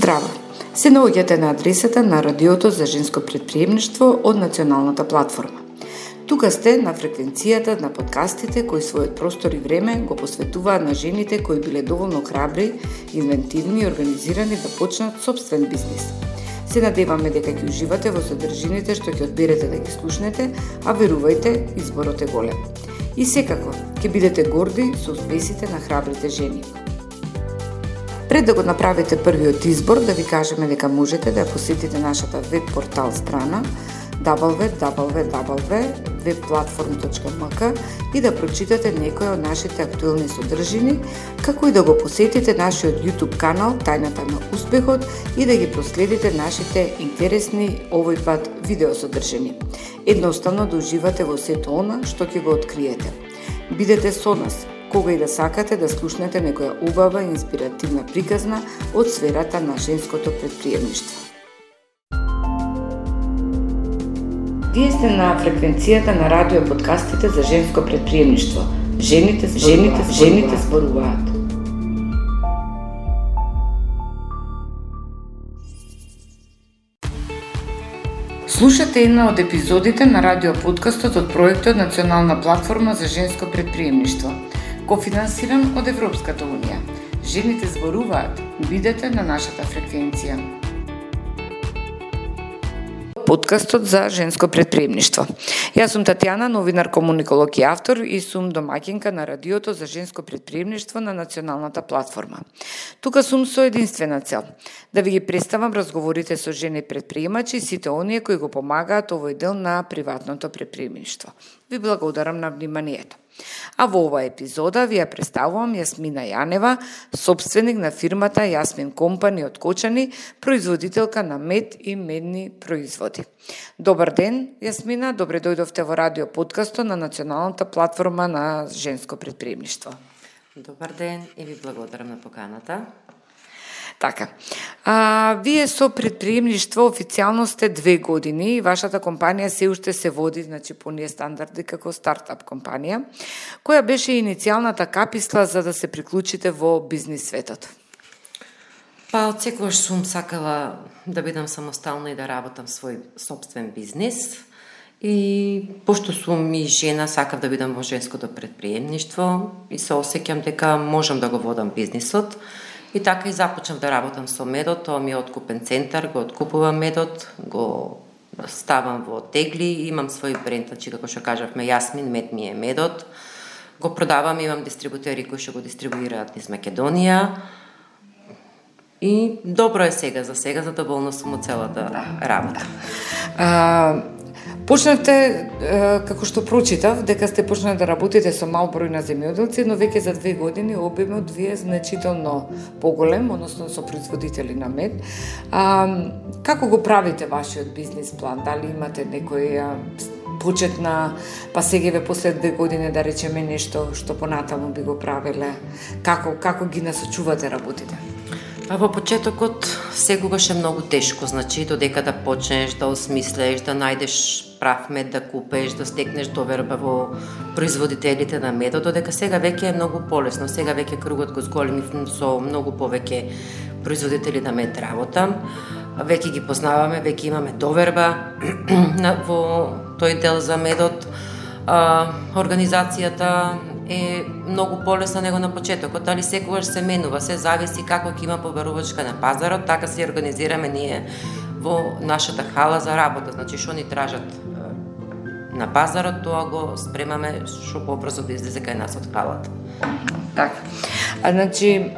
Здраво! Се наоѓате на адресата на Радиото за женско претприемништво од Националната платформа. Тука сте на фреквенцијата на подкастите кои својот простор и време го посветуваат на жените кои биле доволно храбри, инвентивни и организирани да почнат собствен бизнис. Се надеваме дека ќе уживате во содржините што ќе одберете да ги слушнете, а верувајте, изборот е голем. И секако, ќе бидете горди со успесите на храбрите жени. Пред да го направите првиот избор, да ви кажеме дека можете да посетите нашата веб-портал страна www.webplatform.mk и да прочитате некои од нашите актуелни содржини, како и да го посетите нашиот YouTube канал Тајната на успехот и да ги проследите нашите интересни овој пат видеосодржини. Едноставно да уживате во сето она што ќе го откриете. Бидете со нас кога и да сакате да слушнете некоја убава и инспиративна приказна од сферата на женското претприемништво. Вие сте на фреквенцијата на радио подкастите за женско претприемништво. Жените зборуваат. Слушате една од епизодите на радио подкастот од проектот Национална платформа за женско претприемништво, кофинансиран од Европската унија. Жените зборуваат. Бидете на нашата фреквенција. Подкастот за женско претприемништво. Јас сум Татјана, новинар, комуниколог и автор и сум домаќинка на Радиото за женско претприемништво на Националната платформа. Тука сум со единствена цел да ви ги представам разговорите со жени претприемачи и сите оние кои го помагаат овој дел на приватното претприемништво. Ви благодарам на вниманието. А во оваа епизода ви ја представувам Јасмина Јанева, собственик на фирмата Јасмин Компани од Кочани, производителка на мед и медни производи. Добар ден, Јасмина, добре дојдовте во радио подкастот на Националната платформа на женско претприемништво. Добар ден и ви благодарам на поканата. Така, вие со претприемништво официјално сте 2 години и вашата компанија се уште се води, значи по ние стандарди како стартап компанија. Која беше иницијалната каписла за да се приклучите во бизнис светот? Па, од секогаш сум сакала да бидам самостална и да работам свој собствен бизнис. И пошто сум и жена, сакав да бидам во женското претприемништво и се осеќам дека можам да го водам бизнисот. И така и започнав да работам со медот, тоа ми е откупен центар, го откупувам медот, го ставам во тегли, имам свој бренд, значи како што кажавме, Јасмин, мед ми е медот. Го продавам, имам дистрибутери кои што го дистрибуираат низ Македонија. И добро е сега, задоволна сум од целата работа. Почнавте, како што прочитав, дека сте почнали да работите со мал број на земјоделци, но веќе за 2 години обемот ви е значително поголем, односно со производители на мед. Како го правите вашиот бизнис план? Дали имате некој почетна, па сега после 2 години да речеме нешто што понатаму би го правеле? Како ги насочувате работите? Па во почетокот секогаш е многу тешко, значи додека да почнеш да осмислеш, да најдеш прав мед да купеш, да стекнеш доверба во производителите на медот, додека сега веќе е многу полесно, сега веќе кругот го зголемив со многу повеќе производители на мед работам, веќе ги познаваме, веќе имаме доверба во тој дел за медот, организацијата е многу полесна него на почетокот, дали секогаш се менува, се зависи како ќе има побарувачка на пазарот, така се организираме ние во нашата хала за работа, значи што ни тражат на пазарот, тоа го спремаме што побрзо да излезе кај нас од халата. Така. Значи,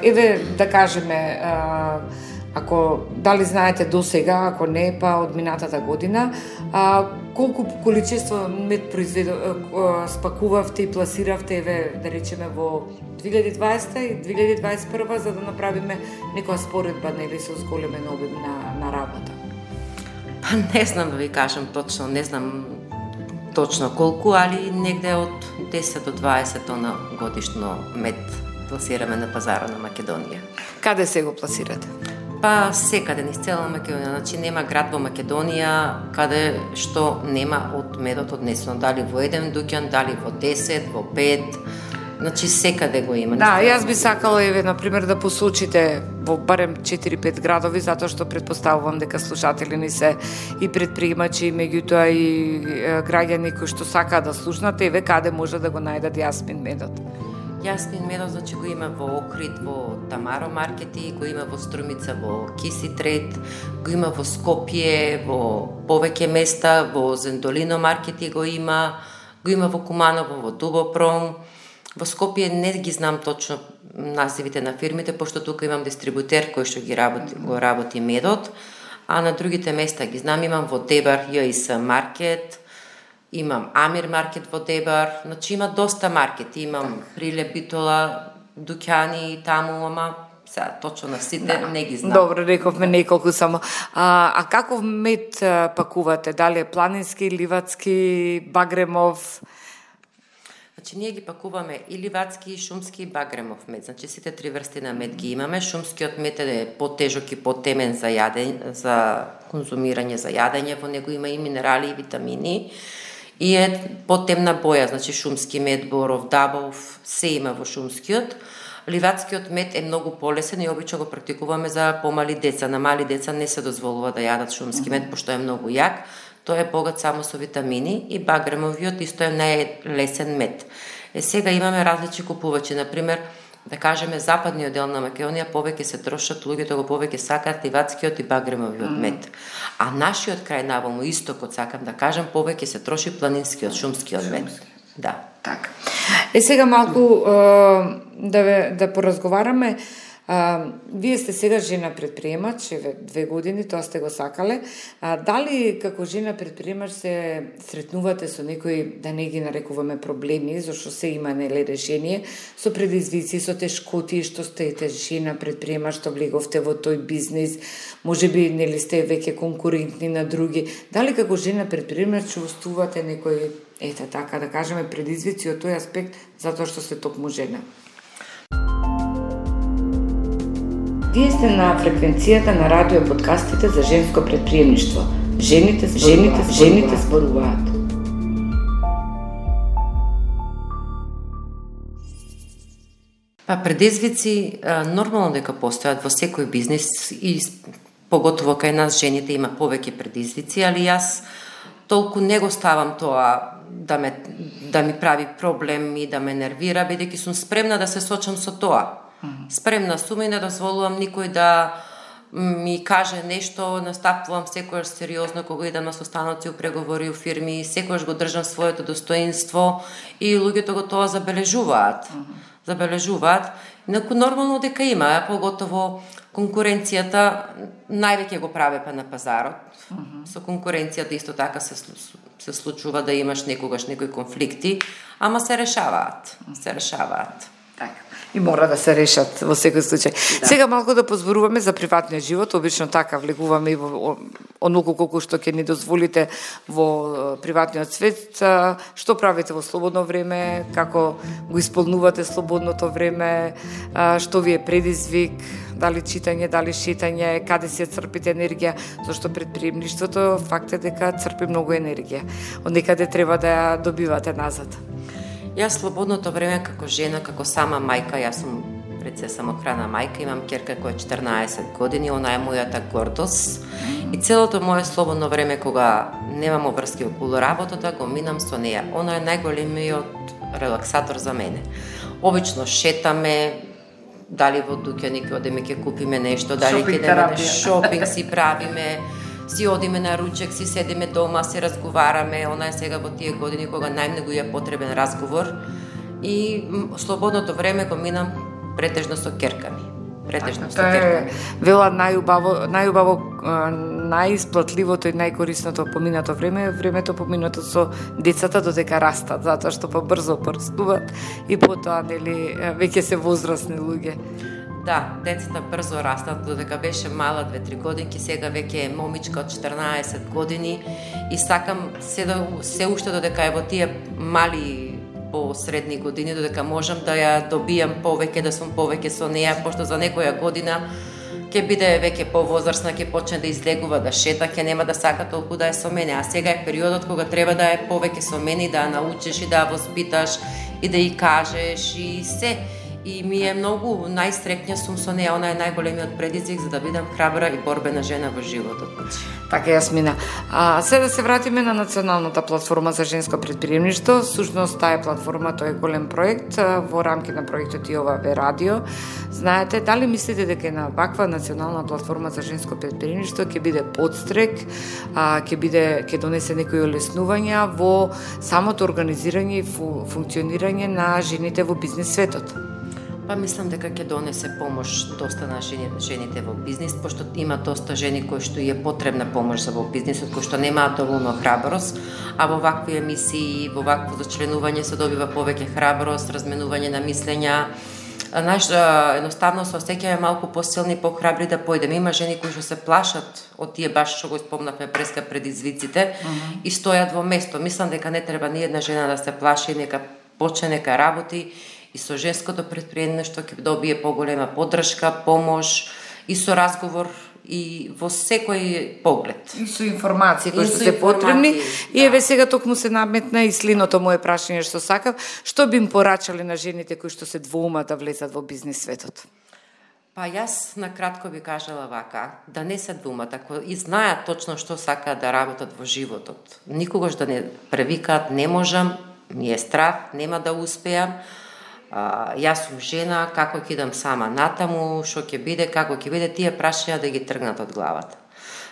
еве да кажеме, ако дали знаете до сега, ако не, па од минатата година, колку количество мед спакувавте и пласиравте, еве да речеме во 2020 и 2021 за да направиме некоја споредба, нели, со зголемен обем на работа? Па не знам да ви кажам точно, не знам точно колку, али негде од 10 до 20 тона годишно мед пласираме на пазара на Македонија. Каде се го пласирате? Па секаде низ цела Македонија, значи нема град во Македонија каде што нема од медот однесено, дали во еден дуќан, дали во 10, во 5, Значи секаде го има. Да, јас би сакала еве на пример да посочите во барем 4-5 градови, затоа што претпоставувам дека слушатели ни се и предприемачи, и меѓутоа и граѓани кои што сакаат да слушнат, еве каде може да го најдат јасмин медот. Јасмин медот, значи го има во Охрид, во Тамаро маркети, го има во Струмица, во Киси Трейд, го има во Скопје, во повеќе места, во Зендолино маркети го има во Куманово, во Дубопром. Во Скопје не ги знам точно називите на фирмите, пошто тука имам дистрибутер кој што го работи медот, а на другите места ги знам, имам во Дебар ЈС маркет, имам Амир маркет во Дебар, значи има доста маркети, имам Приле Битола, дуќани таму, ама сега точно на сите не ги знам. Добро, рековме неколку само. А каков мед пакувате? Дали е планински, ливадски, багремов? Значи, ние ги пакуваме и ливадски, и шумски, и багремов мед. Значи, сите три врсти на мед ги имаме. Шумскиот мед е потежок и потемен за конзумирање, за јадење. Во него има и минерали, и витамини. И е потемна боја, значи шумски мед, боров, дабов, се има во шумскиот. Ливадскиот мед е многу полесен и обично го практикуваме за помали деца. На мали деца не се дозволува да јадат шумски мед, пошто е многу јак. Тој е богат само со витамини и багремовиот исто е најлесен мед. Сега имаме различни купувачи, например, да кажеме западниот дел на Македонија повеќе се трошат, луѓето го повеќе сакаат ливадскиот и багремовиот мед. А нашиот крај наваму истокот, сакам да кажам, повеќе се троши планинскиот, шумскиот мед. Да. Така. Сега малку да поразговараме. Вие сте сега жена предприемач, 2 години, тоа сте го сакале. Дали како жена предприемач се сретнувате со некои, да не ги нарекуваме проблеми, зашто се има нели решение, со предизвици, со тешкоти, што сте жена предприемач, што влеговте во тој бизнис, можеби нели сте веќе конкурентни на други. Дали како жена предприемач чувствувате некои, ете така да кажеме, предизвици од тој аспект, затоа што сте токму жена? Вие сте на фреквенцијата на радио подкастите за женско предприемништво. Жените зборуваат. Предизвици нормално дека постојат во секој бизнис и поготово кај нас жените има повеќе предизвици, али јас толку не го ставам тоа да ми прави проблем и да ме нервира, бидејќи сум спремна да се сочам со тоа. Спремна сум и не дозволувам никој да ми каже нешто, настапувам секојаш сериозно кога идам на состаноци у преговори у фирми, секојаш го држам своето достоинство и луѓето го тоа забележуваат. Инаку нормално дека има, поготово конкуренцијата највеќе го праве на пазарот. Со конкуренцијата исто така се случува да имаш некогаш некои конфликти, ама се решаваат. Така. И мора да се решат во секој случај. Да. Сега малку да позборуваме за приватниот живот, обично така влегуваме и во онолку колку што ќе ни дозволите во приватниот свет. Што правите во слободно време, како го исполнувате слободното време, што ви е предизвик, дали читање, дали шетање, каде си црпите енергија, зашто предприемништвото факт е дека црпи многу енергија. Од некаде треба да ја добивате назад. Јас слободното време како жена, како сама мајка, јас сум пред се самохрана мајка, имам ќерка која е 14 години, она е мојата гордост. И целото моје слободно време кога немам обврски околу работата, го минам со неја. Она е најголемиот релаксатор за мене. Обично шетаме, дали во дуќани ќе одиме ќе купиме нешто, дали ќе идеме шопинг си правиме, си одиме на ручек, си седиме дома, си разговараме, она е сега во тие години кога најмногу е потребен разговор и слободното време го минам претежно со ќерка ми. Вела најубаво, најисплатливото и најкорисното поминато време е времето поминато со децата додека растат, затоа што побрзо порастуваат и потоа нели веќе се возрастни луѓе. Да, децата брзо растат, додека беше мала 2-3 годинки, сега веќе е момичка од 14 години и сакам се уште додека е во тие мали по средни години, додека можам да ја добијам повеќе, да сум повеќе со неја, пошто за некоја година ќе биде веќе повозрасна, ќе почне да излегува, да шета, ќе нема да сака толку да е со мене, а сега е периодот кога треба да е повеќе со мене, да ја научиш и да ја воспиташ и да ја кажеш и се. И ми е многу најстрекнја сум со неја, она е најголемиот предизвик за да бидам храбра и борбена жена во животот. Така Јасмина. Се да се вратиме на националната платформа за женско претприемништво. Сушност таа платформа, тој е голем проект во рамки на проектот и ова ве радио. Знаете, дали мислите дека на ваква национална платформа за женско претприемништво ќе биде подстрек, ќе донесе некои олеснувања во самото организирање и функционирање на жените во бизнис светот? Па мислам дека ќе донесе помош доста на жените во бизнис, пошто има доста жени кои што е потребна помош за во бизнисот, кои што немаат доволно храброст, а во вакви емисии, во вакво зачленување се добива повеќе храброст, разменување на мислења. Едноставно се осеќаме малку посилни, похрабри да појдеме. Има жени кои што се плашат од тие баш што го спомнавме преска предизвиците и стојат во место. Мислам дека не треба ни една жена да се плаши, нека почне, нека работи. И со женското претприемништво ќе добие поголема поддршка, помош и со разговор и во секој поглед. И со информации кои што се потребни. И еве сега токму се наметна и слиното моје прашање што сакав, што би им порачале на жените кои што се двоумат да влезат во бизнис светот? Па јас на кратко би кажала вака, да не се двумат, ако и знаат точно што сакаат да работат во животот. Никогаш да не превикаат, не можам, ми е страх, нема да успеам. Јас сум жена, како ќе идам сама натаму, што ќе биде, како ќе биде, тие прашања да ги тргнат од главата.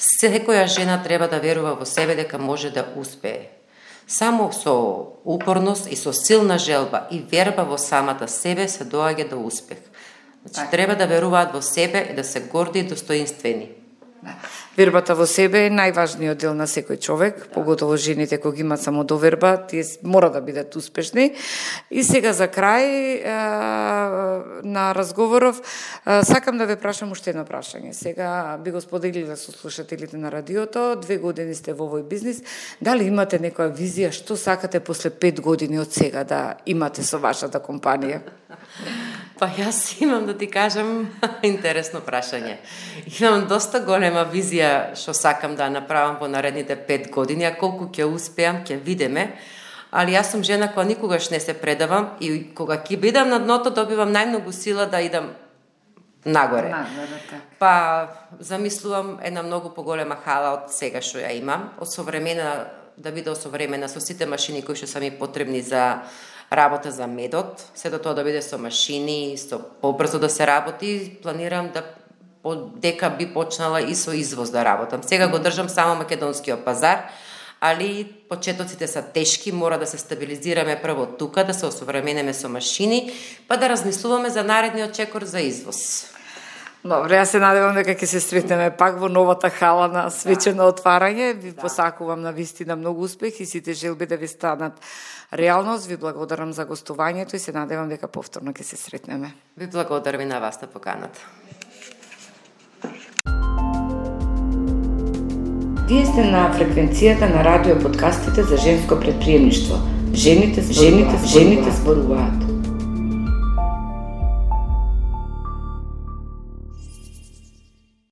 Секоја жена треба да верува во себе дека може да успее. Само со упорност и со силна желба и верба во самата себе се доаѓа до успех. Значи, треба да веруваат во себе и да се горди и достоинствени. Вербата во себе е најважниот дел на секој човек, поготово жените кои имаат самодоверба, тие мора да бидат успешни. И сега за крај на разговоров, сакам да ве прашам уште едно прашање. Сега би го споделила со слушателите на радиото, 2 години сте во овој бизнис, дали имате некоја визија што сакате после 5 години од сега да имате со вашата компанија? Па јас имам да ти кажам интересно прашање. Имам доста голема визија што сакам да направам во наредните 5 години, а колку ќе успеам, ќе видиме. Али јас сум жена која никогаш не се предавам и кога ќе бидам на дното добивам најмногу сила да идам нагоре. Па замислувам една многу поголема хала од сега што ја имам, осовремена, да биде осовремена со сите машини кои што се ми потребни за работа за медот, се до тоа да биде со машини, со побрзо да се работи, планирам да дека би почнала и со извоз да работам. Сега го држам само македонскиот пазар, али почетоците се тешки, мора да се стабилизираме прво тука, да се осовременеме со машини, па да размислуваме за наредниот чекор за извоз. Добре, јас се надевам дека ќе се сретнеме пак во новата хала на свечено отварање. Ви посакувам на вистина многу успех и сите желби да ви станат реалност. Ви благодарам за гостувањето и се надевам дека повторно ќе се сретнеме. Ви благодарам и на вас на поканата. Вие сте на фреквенцијата на радио подкастите за женско претприемништво. Жените зборуваат.